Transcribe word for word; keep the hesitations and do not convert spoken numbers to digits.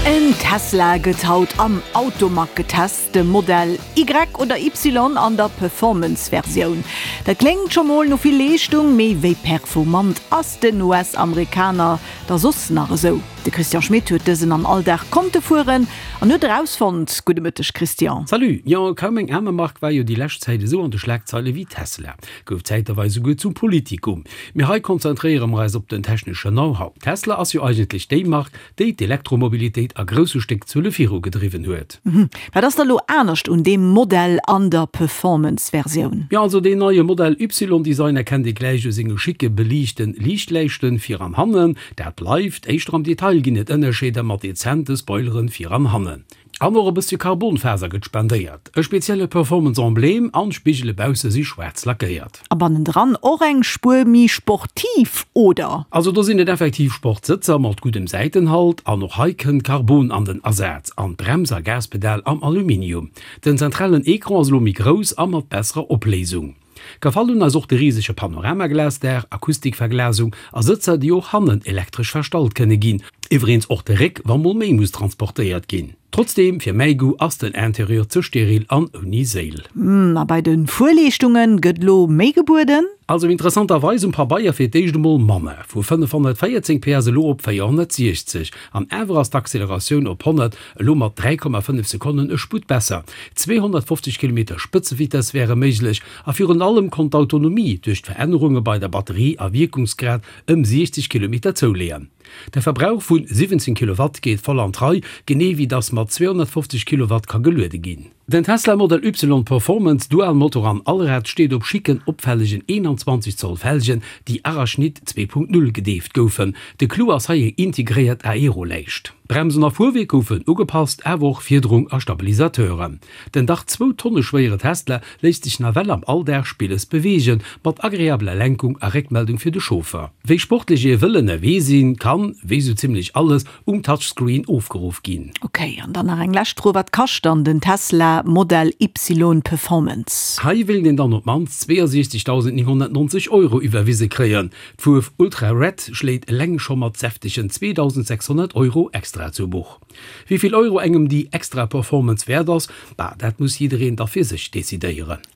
En Tesla gëtt haut am Automag getest, de Modell Y oder Y an der Performance-Versioun. Dat kléngt scho mol no vill Leeschtung, mee wéi performant ass den U S-Amerikaner da soss nach esou? De Christian Schmit huet dësen am Alldag konnte fueren an huet erausfonnt. Gudde Mëtteg, Christian. Salut, jo, kaum eng aner Mark war jo déi lescht Zäit esou an de Schlagzeile wéi Tesla. Gouf zäitweis souguer zum Politikum. Mee hei konzentréiere mer eis op den techneschen Know-how. Tesla ass jo eigentlech déi Mark, déi d'Elektromobilitéit a grousse Stéckzuele virugedriwwen huet. Mhm. Wat ass da lo anescht un deem Modell an der Performance-Versioun? Jo, also deen neie Modell Y-Design erkennt ee gläich u senge schicke beliichte Liichtläischte vir an hannen. Dat bleift, éischter am Detail ginn et Ënnerscheeder mat dezente Spoilere vir an hannen. An och e bëssche Carbonfaser gëtt spendéiert. E spezielle Performance-Emblem an Spigele bausse si schwaarz lackéiert. A bannendran och eng Spuer méi sportiv, oder? Also do sinn et effektiv Sportsëtzer mat guddem Säitenhalt an och hei kënnt Carbon an den Asaz an Brems a Gaspedal am Aluminium. Den zentralen Ecran ass lo méi grouss a mat besserer Opléisung. Gefall hunn eis och de risege Panoramaglasdaach, Akustikverglasung a Sëtzer, déi och hannen elektresch verstallt kënne ginn. Iwwregens och de Réck, wa mol méi muss transportéiert ginn. Trotzdeem, fir mäi Goût ass den Interieur ze steril an ouni Séil. Hm, a bei de Fuerleeschtunge gëtt lo méi gebueden? Also interessanterweis um Pabeier fir d'éischt emol manner, vu fënnefhonnertvéierzéng P S elo op véierhonnertsiechzeg. An awer ass d'Acceleratioun op honnert elo mat dräi Komma fënnef Sekonnen e Sputt besser. zweehonnertfofzeg Kilometer Spëtzevitess wäre méiglech a virun allem konnt d'Autonomie duerch d'Verännerunge bei der Batterie a Wierkungsgrad ëm siechzeg Kilometer zouleeën. De Verbrauch vu siwwenzéng Kilowatt geet voll an d'Rei, genee wéi dass mat zweehonnertfofzeg Kilowatt ka geluede ginn. Den Tesla Model Y Performance Dual-Motor an Allrad steet op schicken, opfällegen eenanzwanzeg Zoll Felgen, déi Arachnid zwee Punkt null gedeeft goufen. De Clou ass hei eng integréiert Aeroläischt. Bremsen a Fuerwierk goufen ugepasst, awer och Fiederung a Stabilisateuren. Den dach zwou Tonne schwéiere Tesla léisst sech nawell am Alldag spilles beweegen, mat agreabeler Lenkung a Réckmeldung fir de Chauffer. Wéi sportlech ee wëll ënnerwee sinn, kann, wéi sou zimmlech alles, um Touchscreen ofgeruff ginn. Ok, an dann nach eng lescht Fro, Wat kascht dann den Tesla Modell Y Performance? Hei wéilt een dann op d'mannst zweeënsiechzegdausendnénghonnertnonzeg Euro iwwerwise kréien. D'Fuerf Ultra Red schléit eleng scho mat säftegen zweedausendsechshonnert Euro extra zu Buch. Wéi vill Euro engem déi extra Performance wäert ass, bah, dat muss jiddereen da fir sech decidéieren.